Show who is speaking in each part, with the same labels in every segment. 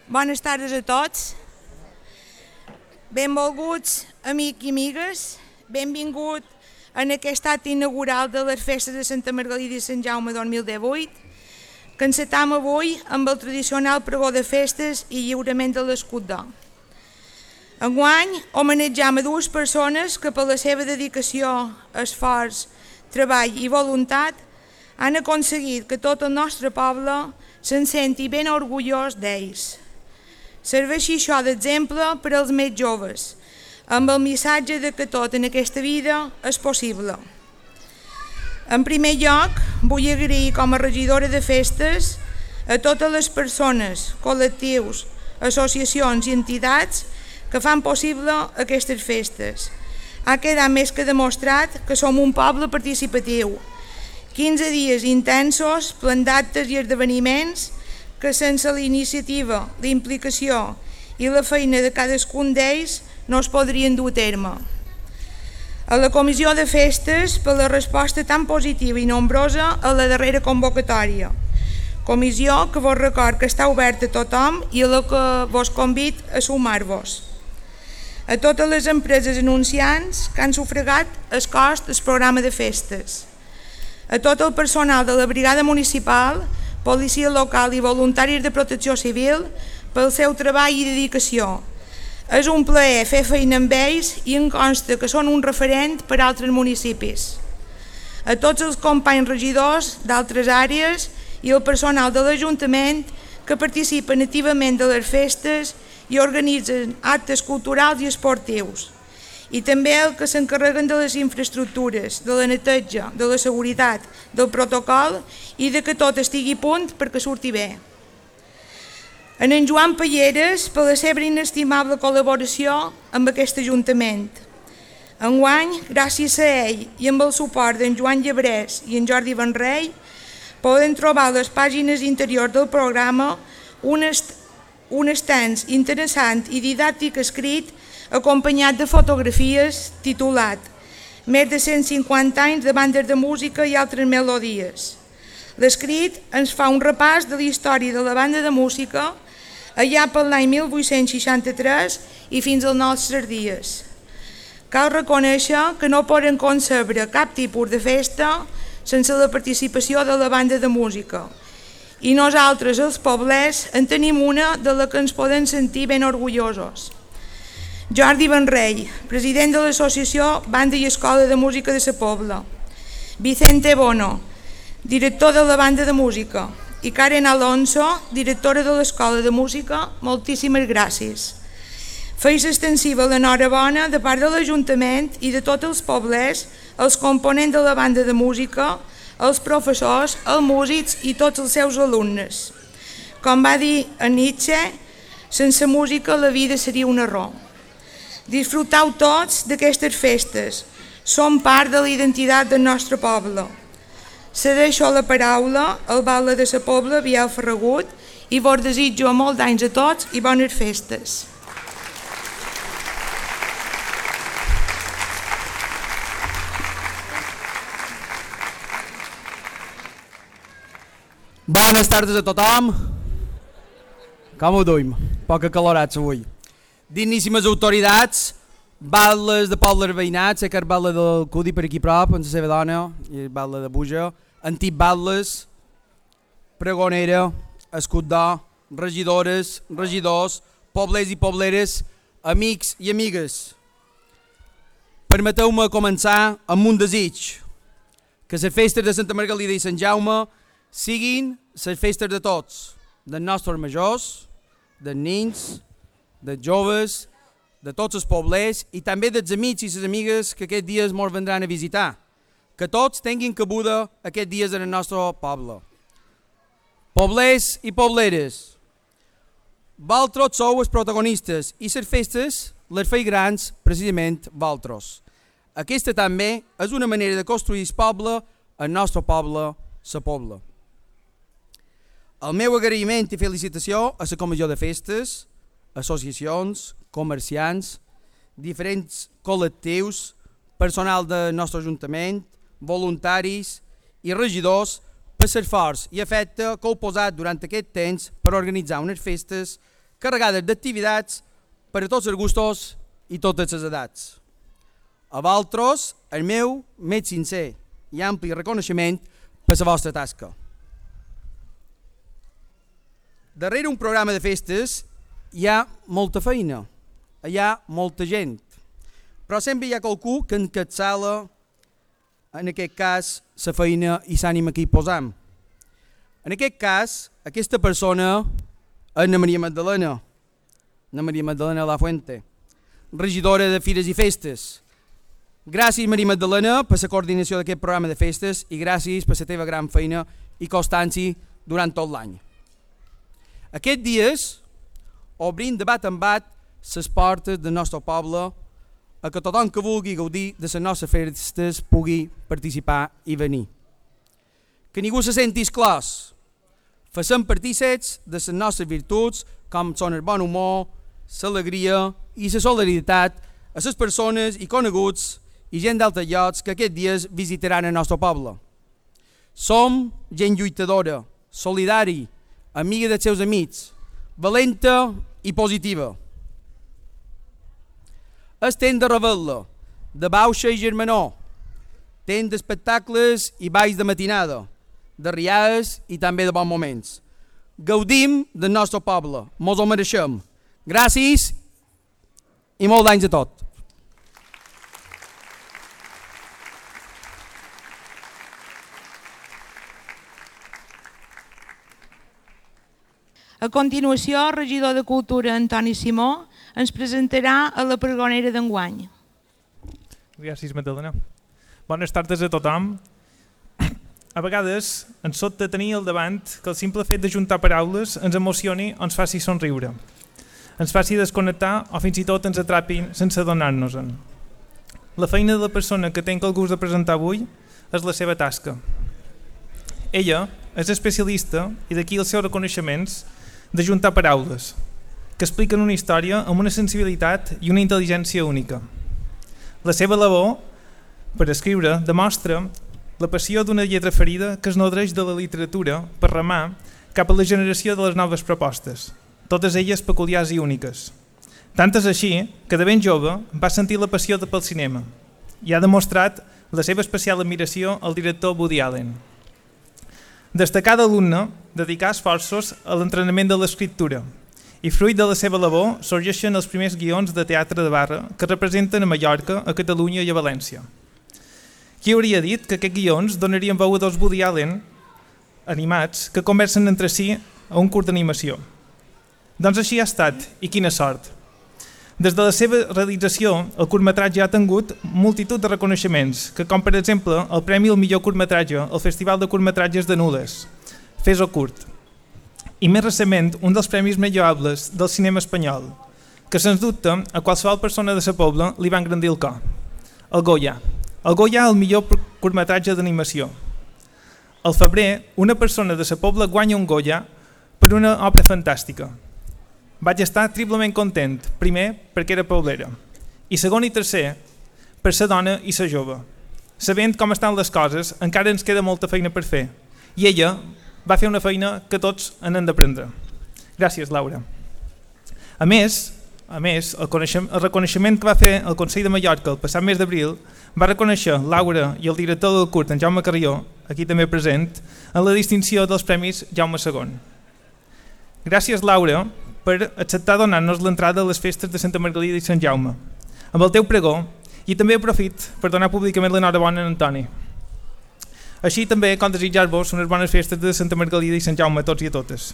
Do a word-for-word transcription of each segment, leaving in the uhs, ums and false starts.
Speaker 1: Bones tardes a tots. Benvolguts, amics i amigues. Benvingut en aquest acte inaugural de les festes de Santa Margalida i Sant Jaume dos mil divuit, que encetam avui amb el tradicional pregó de festes i lliurament de l'escut d'or. Enguany homenatjam a dues persones que per la seva dedicació, esforç, treball i voluntat han aconseguit que tot el nostre poble se'n senti ben orgullós d'ells. Serveixi això d'exemple per als més joves, amb el missatge de que tot en aquesta vida és possible. En primer lloc, vull agrair com a regidora de festes a totes les persones, col·lectius, associacions i entitats que fan possible aquestes festes. Ha quedat més que demostrat que som un poble participatiu. quinze dies intensos, plens d'actes i esdeveniments que sense la iniciativa, la implicació i la feina de cadascun d'ells no es podrien dur a terme. A la Comissió de Festes, per la resposta tan positiva i nombrosa a la darrera convocatòria. Comissió que vos record que està oberta a tothom i a la que vos convid a sumar-vos. A totes les empreses anunciants que han sufragat el cost del programa de festes. A tot el personal de la brigada municipal, policia local i voluntaris de protecció civil pel seu treball i dedicació. És un plaer fer feina amb ells i em consta que són un referent per a altres municipis. A tots els companys regidors d'altres àrees i el personal de l'Ajuntament que participen activament de les festes i organitzen actes culturals i esportius. I també el que s'encarreguen de les infraestructures, de la neteja, de la seguretat, del protocol i de que tot estigui a punt perquè surti bé. En en Joan Palleres, per la seva inestimable col·laboració amb aquest Ajuntament. Enguany, gràcies a ell i amb el suport d'en Joan Llebrés i en Jordi Benrey, poden trobar a les pàgines interiors del programa un, est un estanç interessant i didàctic escrit acompanyat de fotografies titulat Més de cent cinquanta anys de bandes de música i altres melodies. L'escrit ens fa un repàs de la història de la banda de música allà per l'any mil vuit-cents seixanta-tres i fins als nostres dies. Cal reconèixer que no poden concebre cap tipus de festa sense la participació de la banda de música. I nosaltres, els poblers, en tenim una de la que ens podem sentir ben orgullosos. Jordi Benrey, president de l'Associació Banda i Escola de Música de sa Pobla. Vicente Bono, director de la Banda de Música. I Karen Alonso, directora de l'Escola de Música, moltíssimes gràcies. Feis extensiva l'enhorabona de part de l'Ajuntament i de tots els poblers, els components de la Banda de Música, els professors, els músics i tots els seus alumnes. Com va dir en Nietzsche, sense música la vida seria un error. Disfruteu tots d'aquestes festes, són part de la identitat del nostre poble. Cedeixo la paraula al batle de sa Pobla, Biel Ferragut, i vos desitjo molts anys a tots i bones festes.
Speaker 2: Bones tardes a tothom. Com ho duim? Poca calorats avui. Digníssimes autoritats, batlles de pobles veïnats, sé que el batle del Cudi per aquí prop, amb la seva dona, i el batle de Buja, antics batlles, pregonera, escut d'or, regidores, regidors, poblers i pobleres, amics i amigues. Permeteu-me començar amb un desig, que les festes de Santa Margalida i Sant Jaume siguin les festes de tots, dels nostres majors, dels nens, dels joves, de tots els poblers i també dels amics i les amigues que aquests dies ens vendran a visitar. Que tots tinguin cabuda aquests dies en el nostre poble. Poblers i pobleres, vosaltres sou els protagonistes i les festes les feu grans precisament vosaltres. Aquesta també és una manera de construir el poble, el nostre poble, la Pobla. El meu agraïment i felicitació a la Comissió de Festes, associacions, comerciants, diferents col·lectius, personal del nostre Ajuntament, voluntaris i regidors per l'esforç i afecte que heu posat durant aquest temps per organitzar unes festes carregades d'activitats per a tots els gustos i totes les edats. A vosaltres, el meu més sincer i ampli reconeixement per la vostra tasca. Darrere un programa de festes hi ha molta feina, hi ha molta gent, però sempre hi ha qualcú que encapçala, en aquest cas, la feina i l'ànima que hi posam. En aquest cas, aquesta persona és Ana Maria Magdalena, Ana Maria Magdalena Lafuente, regidora de Fires i Festes. Gràcies, Maria Magdalena, per la coordinació d'aquest programa de festes i gràcies per la teva gran feina i constància durant tot l'any. Aquests dies obrim de bat en bat les portes del nostre poble a que tothom que vulgui gaudir de les nostres festes pugui participar i venir. Que ningú se senti exclòs. Facem partíceps de les nostres virtuts com són el bon humor, l'alegria i la solidaritat a les persones i coneguts i gent d'altres llocs que aquests dies visitaran el nostre poble. Som gent lluitadora, solidari, amiga dels seus amics, valenta i positiva. És temps de revetla, de bauxa i germanor, temps d'espectacles i balls de matinada, de riades i també de bons moments. Gaudim del nostre poble, mos ho mereixem. Gràcies i molts d'anys a tot.
Speaker 1: A continuació, el regidor de Cultura, Antoni Simó, ens presentarà a la pregonera d'enguany.
Speaker 3: Gràcies, Magdalena. Bones tardes a tothom. A vegades ens sobta tenir al davant que el simple fet de juntar paraules ens emocioni o ens faci somriure, ens faci desconnectar o fins i tot ens atrapin sense adonar-nos-en. La feina de la persona que tenc el gust de presentar avui és la seva tasca. Ella és especialista i d'aquí els seus reconeixements de juntar paraules, que expliquen una història amb una sensibilitat i una intel·ligència única. La seva labor, per escriure, demostra la passió d'una lletra ferida que es nodreix de la literatura per remar cap a la generació de les noves propostes, totes elles peculiars i úniques. Tant és així que de ben jove va sentir la passió pel cinema i ha demostrat la seva especial admiració al director Woody Allen. Destacada alumna, dedicà esforços a l'entrenament de l'escriptura i fruit de la seva labor sorgeixen els primers guions de teatre de barra que representen a Mallorca, a Catalunya i a València. Qui hauria dit que aquests guions donarien veu a dos Woody Allen animats que conversen entre si a un curt d'animació? Doncs així ha estat, i quina sort. Des de la seva realització, el curtmetratge ha tingut multitud de reconeixements, que com per exemple el Premi al millor curtmetratge al Festival de Curtmetratges de Nules, Fes-ho curt. I més recentment, un dels premis més lloables del cinema espanyol, que sens dubte a qualsevol persona de sa pobla li va engrandir el cor. El Goya. El Goya el millor curtmetratge d'animació. Al febrer, una persona de sa pobla guanya un Goya per una obra fantàstica. Vaig estar triplement content, primer perquè era poblera, i segon i tercer per ser dona i ser jove. Sabent com estan les coses, encara ens queda molta feina per fer, i ella va fer una feina que tots en hem d'aprendre. Gràcies, Laura. A més, a més el, el reconeixement que va fer el Consell de Mallorca el passat mes d'abril va reconèixer Laura i el director del curt, en Jaume Carrió, aquí també present, en la distinció dels Premis Jaume segon. Gràcies, Laura, per acceptar donar-nos l'entrada a les festes de Santa Margalida i Sant Jaume, amb el teu pregó, i també aprofit per donar públicament l'enhorabona a Antoni. Així també com desitjar-vos unes bones festes de Santa Margalida i Sant Jaume a tots i a totes.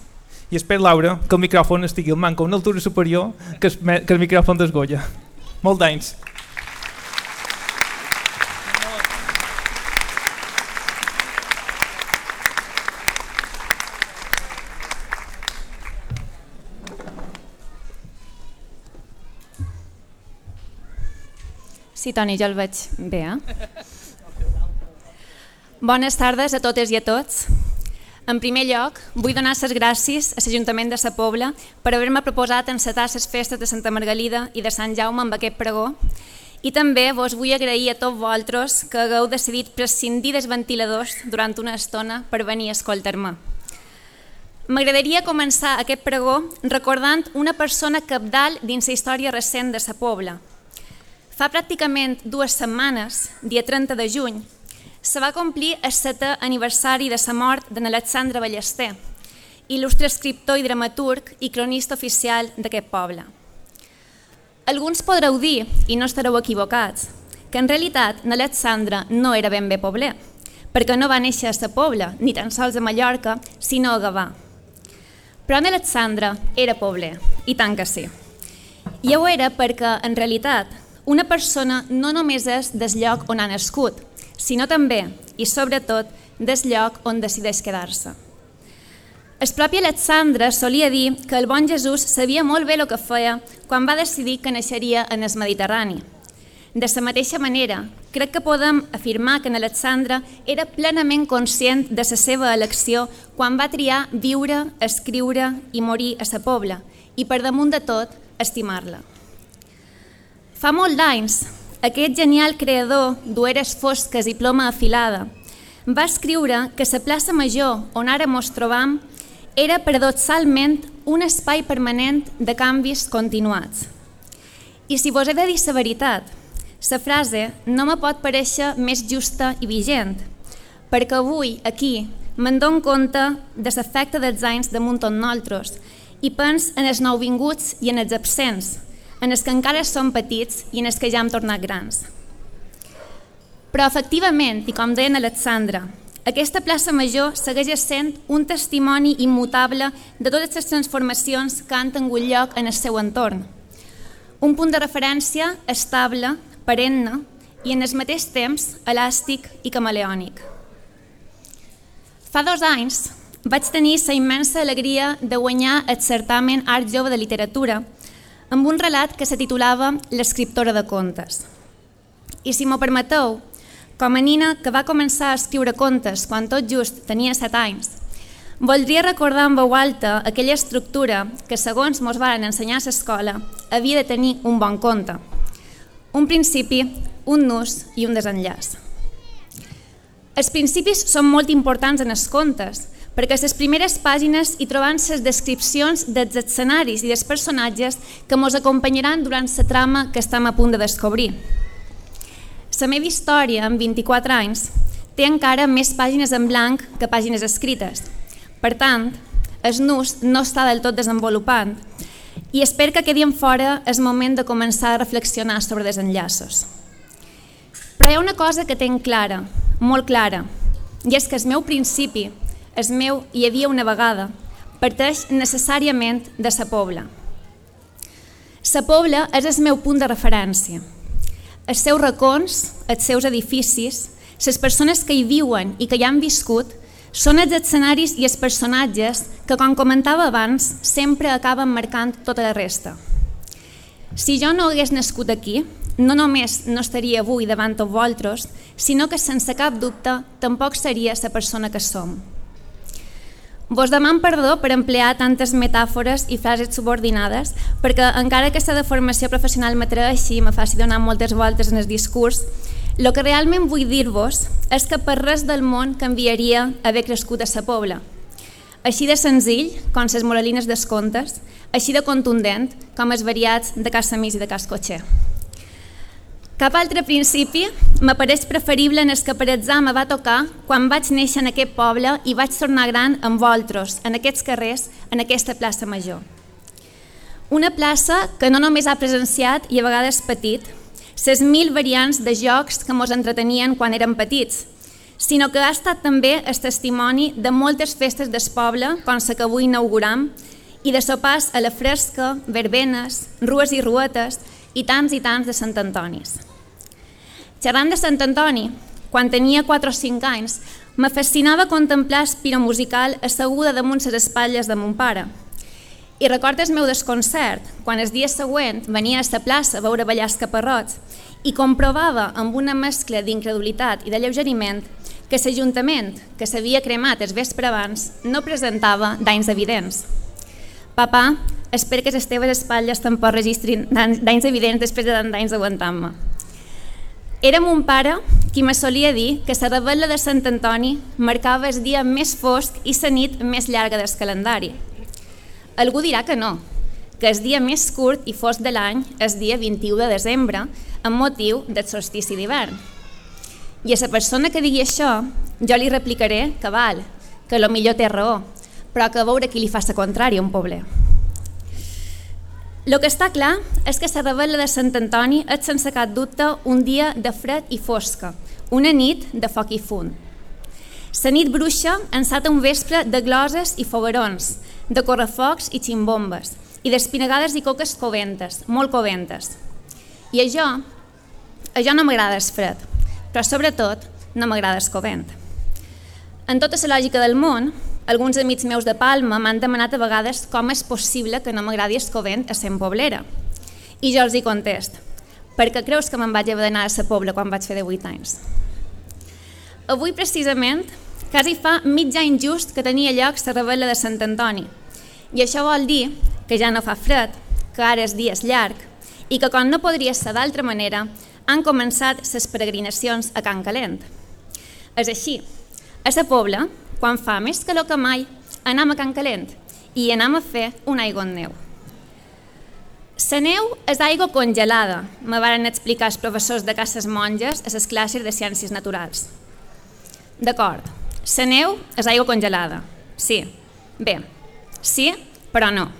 Speaker 3: I espero, Laura, que el micròfon estigui al manco a una altura superior que el, que el micròfon d'es Goya. Molt d'anys.
Speaker 4: Sí, Toni, jo el veig bé, eh? Bones tardes a totes i a tots. En primer lloc, vull donar les gràcies a l'Ajuntament de Sa Pobla per haver-me proposat encetar les festes de Santa Margalida i de Sant Jaume amb aquest pregó, i també vos vull agrair a tots vosaltres que hagueu decidit prescindir dels ventiladors durant una estona per venir a escoltar-me. M'agradaria començar aquest pregó recordant una persona cabdal dins la història recent de sa Pobla. Fa pràcticament dues setmanes, dia trenta de juny, se va complir el setè aniversari de la mort d'en Alexandre Ballester, il·lustre escriptor i dramaturg i cronista oficial d'aquest poble. Alguns podreu dir, i no estareu equivocats, que en realitat n'Alexandre no era ben bé pobler, perquè no va néixer a sa Pobla, ni tan sols a Mallorca, sinó a Gavà. Però en Alexandre era pobler, i tant que sí. I ho era perquè, en realitat, una persona no només és del lloc on ha nascut, sinó també, i sobretot, del lloc on decideix quedar-se. El propi Alexandre solia dir que el bon Jesús sabia molt bé el que feia quan va decidir que naixeria en el Mediterrani. De la mateixa manera, crec que podem afirmar que en Alexandre era plenament conscient de la seva elecció quan va triar viure, escriure i morir a sa Pobla, i per damunt de tot, estimar-la. Fa molt d'anys, aquest genial creador d'ueres fosques i ploma afilada va escriure que la plaça Major on ara mos trobam era paradoxalment un espai permanent de canvis continuats. I si vos he de dir la veritat, la frase no me pot parèixer més justa i vigent, perquè avui, aquí, me'n dono compte de l'efecte dels anys damunt tot nosaltres i pens en els nouvinguts i en els absents, en els que encara som petits i en els que ja hem tornat grans. Però, efectivament, i com deia en Alexandre, aquesta plaça Major segueix sent un testimoni immutable de totes les transformacions que han tingut lloc en el seu entorn. Un punt de referència estable, perenne i, en el mateix temps, elàstic i camaleònic. Fa dos anys vaig tenir la immensa alegria de guanyar el certamen Art Jove de Literatura amb un relat que se titulava L'escriptora de contes. I si m'ho permeteu, com a nina que va començar a escriure contes quan tot just tenia set anys, voldria recordar en veu alta aquella estructura que, segons mos varen ensenyar a l'escola, havia de tenir un bon conte. Un principi, un nus i un desenllaç. Els principis són molt importants en els contes, perquè a les primeres pàgines hi trobem les descripcions dels escenaris i dels personatges que ens acompanyaran durant la trama que estem a punt de descobrir. La meva història, amb vint-i-quatre anys, té encara més pàgines en blanc que pàgines escrites. Per tant, el nus no està del tot desenvolupant i espero que quedi en fora el moment de començar a reflexionar sobre desenllaços. Però hi ha una cosa que tenc clara, molt clara, i és que el meu principi, el meu hi havia una vegada, parteix necessàriament de sa Pobla. Sa Pobla és el meu punt de referència. Els seus racons, els seus edificis, les persones que hi viuen i que hi han viscut, són els escenaris i els personatges que, com comentava abans, sempre acaben marcant tota la resta. Si jo no hagués nascut aquí, no només no estaria avui davant tots vosaltres, sinó que sense cap dubte tampoc seria la persona que som. Vos demano perdó per emplear tantes metàfores i frases subordinades, perquè encara que la formació professional m'atreveixi i me faci donar moltes voltes en el discurs, el que realment vull dir-vos és que per res del món canviaria haver crescut a sa Pobla. Així de senzill, com les moralines dels contes, així de contundent, com els variats de Casa Mis i de Cas Cotxer. Cap altre principi m'apareix preferible en el que per atzar me va tocar quan vaig néixer en aquest poble i vaig tornar gran amb vosaltres, en aquests carrers, en aquesta plaça Major. Una plaça que no només ha presenciat i a vegades patit les mil variants de jocs que mos entretenien quan érem petits, sinó que ha estat també el testimoni de moltes festes del poble, com la que avui inauguram, i de sopars a la fresca, verbenes, rues i ruetes i tants i tants de Sant Antonis. Xerrant de Sant Antoni, quan tenia quatre o cinc anys, me fascinava contemplar el piro musical asseguda damunt les espatlles de mon pare. I recordo el meu desconcert quan el dia següent venia a la plaça a veure ballar els caparrots i comprovava amb una mescla d'incredulitat i d'alleugeriment que l'Ajuntament, que s'havia cremat el vespre abans, no presentava danys evidents. Papà, espero que les teves espatlles tampoc registrin danys evidents després de tant d'anys aguantant-me. Era mon pare qui me solia dir que la revetlla de Sant Antoni marcava el dia més fosc i la nit més llarga del calendari. Algú dirà que no, que el dia més curt i fosc de l'any és el dia vint-i-u de desembre, amb motiu del solstici d'hivern. I a la persona que digui això, jo li replicaré que val, que potser té raó, però que a veure qui li fa la contrària a un pobler. El que està clar és que la revetlla de Sant Antoni és sense cap dubte un dia de fred i fosca, una nit de foc i fum. La nit bruixa ensata un vespre de gloses i foguerons, de correfocs i ximbombes, i d'espinagades i coques coventes, molt coventes. I això, això no m'agrada el fred, però sobretot no m'agrada el covent. En tota la lògica del món, alguns amics meus de Palma m'han demanat a vegades com és possible que no m'agradi el covent a sent poblera. I jo els hi contest, perquè creus que me'n vaig haver d'anar a la Pobla quan vaig fer divuit anys? Avui, precisament, quasi fa mig any just que tenia lloc la revetlla de Sant Antoni. I això vol dir que ja no fa fred, que ara el dia és llarg i que, com no podria ser d'altra manera, han començat les peregrinacions a Can Calent. És així, a la Pobla, quan fa més calor que mai, anem a Can Calent i anem a fer una aigua en neu. La neu és aigua congelada, me varen explicar els professors de Cases Monges a les classes de Ciències Naturals. D'acord, la neu és aigua congelada, sí. Bé, sí, però no.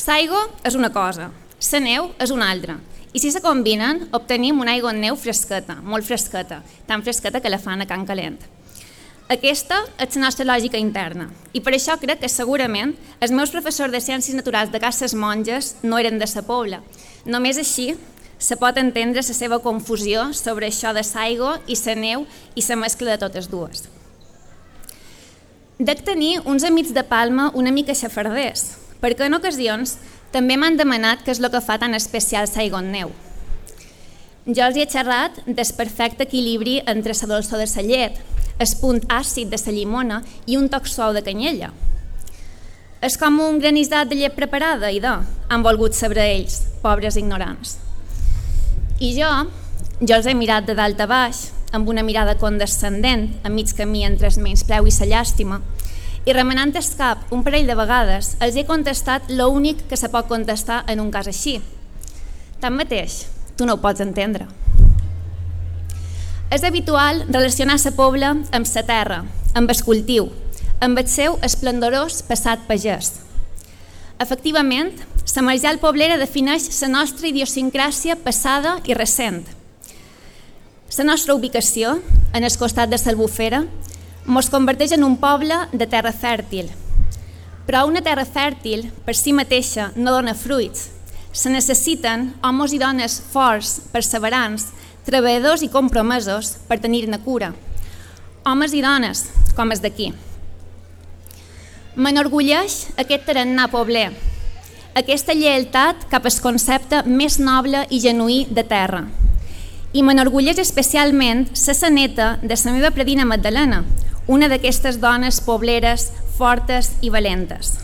Speaker 4: L'aigua és una cosa, la neu és una altra. I si se combinen, obtenim una aigua en neu fresqueta, molt fresqueta, tan fresqueta que la fan a Can Calent. Aquesta és la nostra lògica interna i per això crec que segurament els meus professors de Ciències Naturals de Cases Monges no eren de la Pobla. Només així se pot entendre la seva confusió sobre això de l'aigua i la neu i la mescla de totes dues. Dec tenir uns amics de Palma una mica xafarders, perquè en ocasions també m'han demanat què és el que fa tan especial l'aigua en neu. Jo els he xerrat del perfecte equilibri entre la dolçor de la llet, el punt àcid de la llimona i un toc suau de canyella. És com un granissat de llet preparada, idò, han volgut saber ells, pobres ignorants. I jo, jo els he mirat de dalt a baix, amb una mirada condescendent, a mig camí entre el menyspreu i la llàstima, i remenant el cap un parell de vegades, els he contestat l'únic que se pot contestar en un cas així. Tanmateix, tu no ho pots entendre. És habitual relacionar la Pobla amb la terra, amb el cultiu, amb el seu esplendorós passat pagès. Efectivament, la marjal poblera defineix la nostra idiosincràsia passada i recent. La nostra ubicació, en el costat de l'Albufera, ens converteix en un poble de terra fèrtil. Però una terra fèrtil, per si mateixa, no dona fruits. Se necessiten homes i dones forts, perseverants, treballadors i compromesos per tenir-ne cura. Homes i dones, com els d'aquí. M'enorgulleix aquest tarannà pobler, aquesta lleialtat cap al concepte més noble i genuí de terra. I m'enorgulleix especialment ser la neta de la meva predina Magdalena, una d'aquestes dones pobleres, fortes i valentes.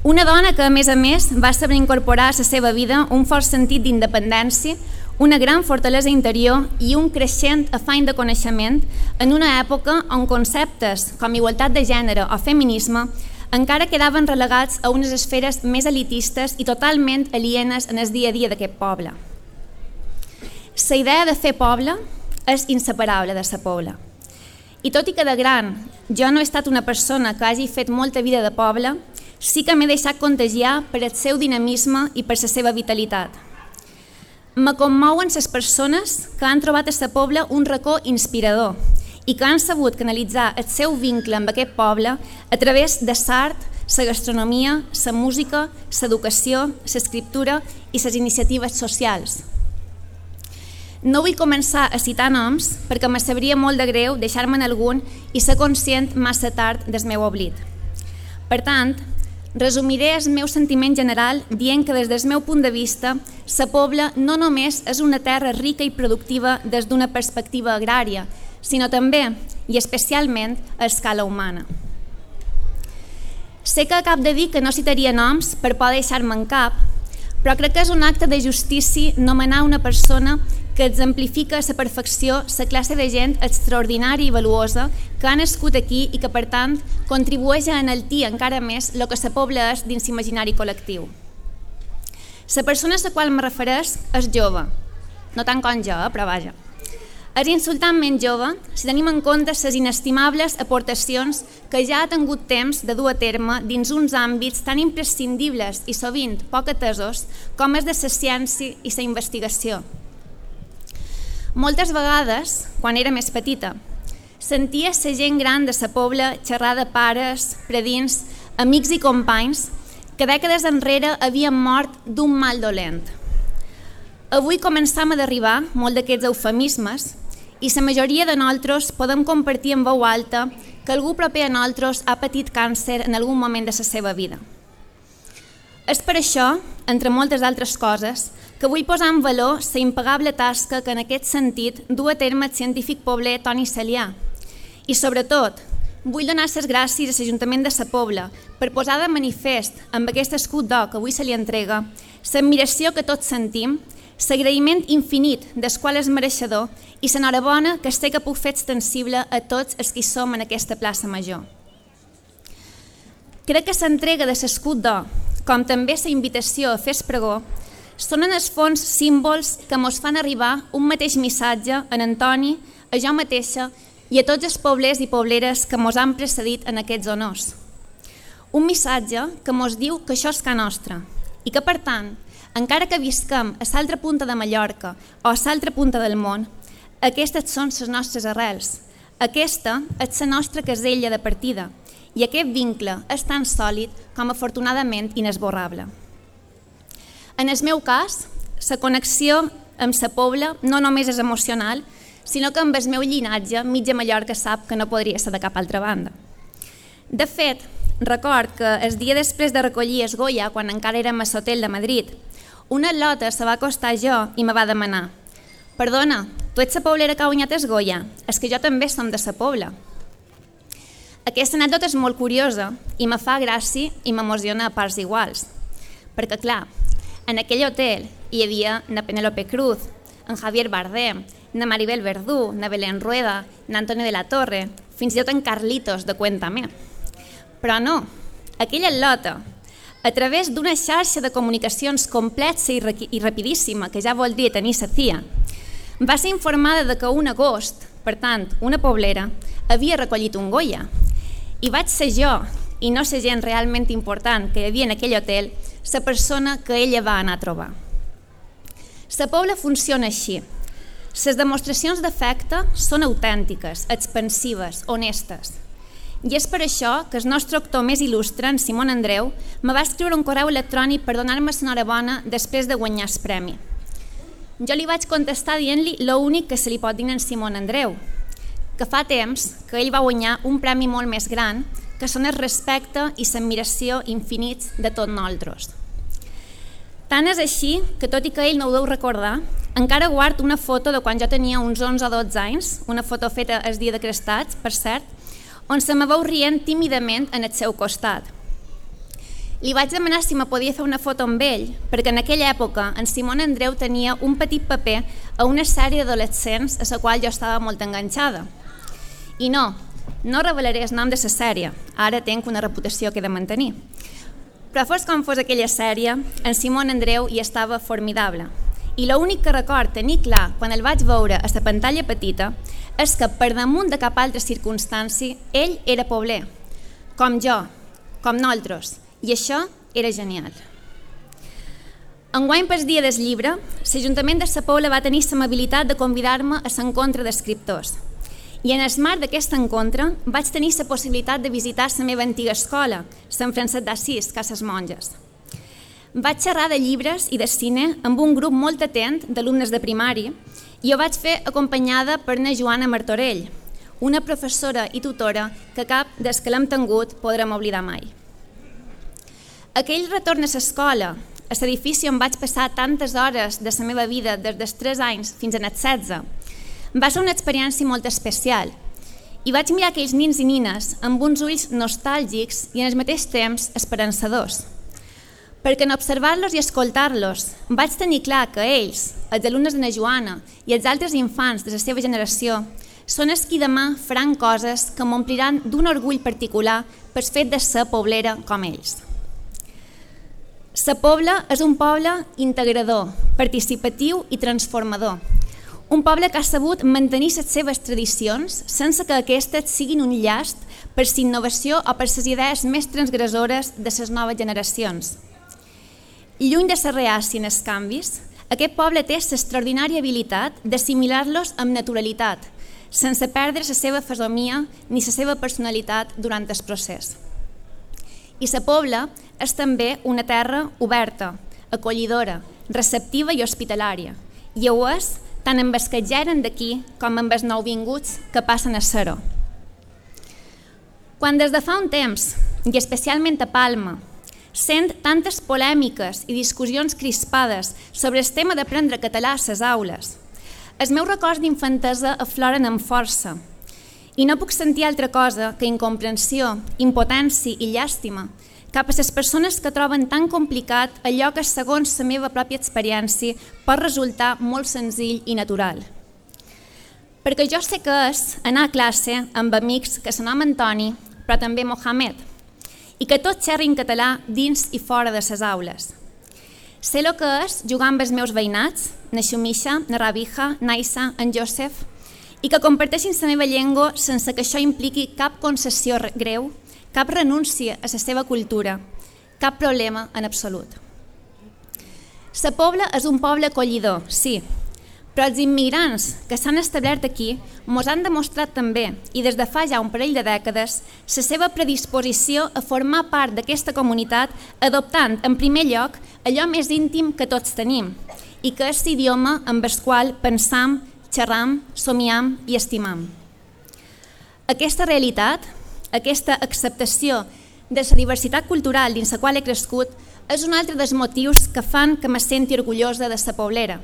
Speaker 4: Una dona que, a més a més, va saber incorporar a la seva vida un fort sentit d'independència, una gran fortalesa interior i un creixent afany de coneixement en una època on conceptes com igualtat de gènere o feminisme encara quedaven relegats a unes esferes més elitistes i totalment alienes en el dia a dia d'aquest poble. La idea de fer poble és inseparable de la Pobla. I tot i que de gran jo no he estat una persona que hagi fet molta vida de poble, sí que m'he deixat contagiar per el seu dinamisme i per la seva vitalitat. Me commouen les persones que han trobat a la Pobla un racó inspirador i que han sabut canalitzar el seu vincle amb aquest poble a través de l'art, la gastronomia, la música, l'educació, l'escriptura i les iniciatives socials. No vull començar a citar noms perquè me sabria molt de greu deixar-me'n algun i ser conscient massa tard del meu oblit. Per tant, resumiré el meu sentiment general dient que des del meu punt de vista la Pobla no només és una terra rica i productiva des d'una perspectiva agrària, sinó també, i especialment, a escala humana. Sé que acabo de dir que no citaria noms per poder deixar-me en cap, però crec que és un acte de justícia nomenar una persona que exemplifica a la perfecció la classe de gent extraordinària i valuosa que ha nascut aquí i que, per tant, contribueix a enaltir encara més el que la pobla és dins l'imaginari col·lectiu. La persona a la qual me refereix és jove, no tant com jo, però vaja. És insultantment jove si tenim en compte les inestimables aportacions que ja ha tingut temps de dur a terme dins uns àmbits tan imprescindibles i sovint poc atesos com és de la ciència i la investigació. Moltes vegades, quan era més petita, sentia la gent gran de la pobla xerrar de pares, predins, amics i companys que dècades enrere havien mort d'un mal dolent. Avui començam a derribar molt d'aquests eufemismes i la majoria de nosaltres podem compartir en veu alta que algú proper a nosaltres ha patit càncer en algun moment de la seva vida. És per això, entre moltes altres coses, que vull posar en valor la impagable tasca que en aquest sentit du a terme el científic pobler Toni Celià. I sobretot, vull donar les gràcies a l'Ajuntament de la Pobla per posar de manifest amb aquest escut d'or que avui se li entrega l'admiració que tots sentim, l'agraïment infinit del qual és mereixedor i l'enhorabona que sé que puc fer extensible a tots els que hi som en aquesta plaça major. Crec que l'entrega de l'escut d'or, com també la invitació a fer el pregó, són en el fons símbols que ens fan arribar un mateix missatge a en Antoni, a jo mateixa i a tots els poblers i pobleres que ens han precedit en aquests honors. Un missatge que ens diu que això és ca nostra i que, per tant, encara que visquem a l'altra punta de Mallorca o a l'altra punta del món, aquestes són les nostres arrels, aquesta és la nostra casella de partida i aquest vincle és tan sòlid com afortunadament inesborrable. En el meu cas, la connexió amb la pobla no només és emocional, sinó que amb el meu llinatge mitja Mallorca sap que no podria ser de cap altra banda. De fet, record que el dia després de recollir el Goya, quan encara érem a l'hotel de Madrid, una atleta se va acostar jo i me va demanar: «Perdona, tu ets la poblera que ha guanyat el Goya? És que jo també som de la pobla». Aquesta anècdota és molt curiosa i me fa gràcia i m'emociona a parts iguals. Perquè, clar, en aquell hotel hi havia na Penélope Cruz, en Javier Bardem, na Maribel Verdú, na Belén Rueda, na Antonio de la Torre, fins i tot en Carlitos de Cuéntame. Però no, aquella atleta, a través d'una xarxa de comunicacions complexa i rapidíssima, que ja vol dir tenir sa tia, va ser informada de que un agost, per tant, una poblera, havia recollit un Goya. I vaig ser jo, i no la gent realment important que hi havia en aquell hotel, la persona que ella va anar a trobar. La pobla funciona així. Les demostracions d'afecte són autèntiques, expansives, honestes. I és per això que el nostre actor més il·lustre, en Simón Andreu, me va escriure un correu electrònic per donar-me l'enhorabona després de guanyar el premi. Jo li vaig contestar dient-li l'únic que se li pot dir en Simón Andreu, que fa temps que ell va guanyar un premi molt més gran, que són el respecte i l'admiració infinits de tots nosaltres. Tant és així que, tot i que ell no ho deu recordar, encara guard una foto de quan jo tenia uns onze o dotze anys, una foto feta el dia de Crestats, per cert, on se me veu rient tímidament en el seu costat. Li vaig demanar si me podia fer una foto amb ell, perquè en aquella època en Simón Andreu tenia un petit paper a una sèrie d'adolescents a la qual jo estava molt enganxada. I no, no revelaré el nom de la sèrie, ara tenc una reputació que he de mantenir. Però fos com fos aquella sèrie, en Simón Andreu hi estava formidable. I l'únic que record tenir clar quan el vaig veure a la pantalla petita és que per damunt de cap altra circumstància ell era pobler, com jo, com nosaltres, i això era genial. Enguany pel dia del llibre, l'Ajuntament de la Pobla va tenir l'amabilitat de convidar-me a l'encontre d'escriptors. I en el marc d'aquest encontre vaig tenir la possibilitat de visitar la meva antiga escola, Sant Francesc d'Assís, Cases Monges. Vaig xerrar de llibres i de cine amb un grup molt atent d'alumnes de primari i ho vaig fer acompanyada per na Joana Martorell, una professora i tutora que cap des que l'hem tingut podrem oblidar mai. Aquell retorn a l'escola, a l'edifici on vaig passar tantes hores de la meva vida des dels tres anys fins als setze, va ser una experiència molt especial i vaig mirar aquells nins i nines amb uns ulls nostàlgics i en el mateix temps esperançadors. perquè en observar-los i escoltar-los vaig tenir clar que ells, els alumnes de na Joana i els altres infants de la seva generació, són els qui demà faran coses que m'ompliran d'un orgull particular pel fet de ser poblera com ells. La Pobla és un poble integrador, participatiu i transformador. Un poble que ha sabut mantenir les seves tradicions sense que aquestes siguin un llast per la innovació o per les idees més transgressores de les noves generacions. Lluny de ser reaci en els canvis, aquest poble té l'extraordinària habilitat d'assimilar-los amb naturalitat, sense perdre la seva fesomia ni la seva personalitat durant el procés. I la Pobla és també una terra oberta, acollidora, receptiva i hospitalària, i ho és tant amb els que ja eren d'aquí com amb els nouvinguts que passen a ser-ho. Quan des de fa un temps, i especialment a Palma, sent tantes polèmiques i discussions crispades sobre el tema d'aprendre català a les aules, els meus records d'infantesa afloren amb força i no puc sentir altra cosa que incomprensió, impotència i llàstima cap a les persones que troben tan complicat allò que, segons la meva pròpia experiència, pot resultar molt senzill i natural. Perquè jo sé que és anar a classe amb amics que se nom Antoni, però també Mohamed, i que tots xerrin català dins i fora de les aules. Sé el que és jugar amb els meus veïnats, na Xumisha, na Rabija, Naisa, en Josep, i que comparteixin la meva llengua sense que això impliqui cap concessió greu, cap renúncia a la seva cultura, cap problema en absolut. La Pobla és un poble acollidor, sí, però els immigrants que s'han establert aquí mos han demostrat també, i des de fa ja un parell de dècades, la seva predisposició a formar part d'aquesta comunitat adoptant en primer lloc allò més íntim que tots tenim i que és l'idioma amb el qual pensam, xerram, somiam i estimam. Aquesta realitat, aquesta acceptació de la diversitat cultural dins la qual he crescut és un altre dels motius que fan que me senti orgullosa de la poblera.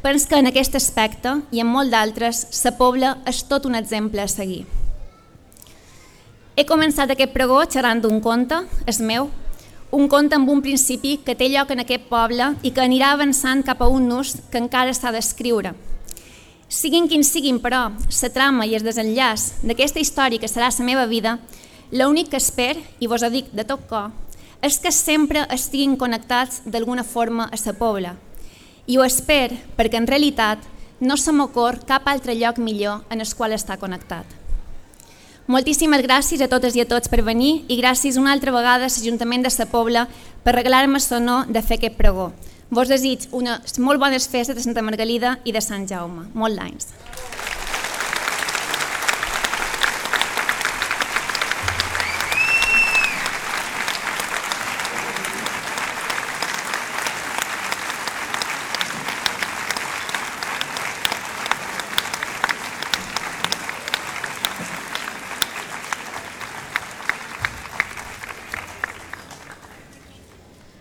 Speaker 4: Penso que en aquest aspecte i en molt d'altres, la Pobla és tot un exemple a seguir. He començat aquest pregó xerrant d'un conte, és meu, un conte amb un principi que té lloc en aquest poble i que anirà avançant cap a un nus que encara s'ha d'escriure. Siguin quins siguin, però, la trama i el desenllaç d'aquesta història que serà la meva vida, l'únic que espero, i vos ho dic de tot cor, és que sempre estiguin connectats d'alguna forma a la Pobla. I ho espero perquè en realitat no se m'ocorre cap altre lloc millor en el qual està connectat. Moltíssimes gràcies a totes i a tots per venir i gràcies una altra vegada a l'Ajuntament de la Pobla per regalar-me l'honor de fer aquest pregó. Vos desig unes molt bones festes de Santa Margalida i de Sant Jaume. Molts anys.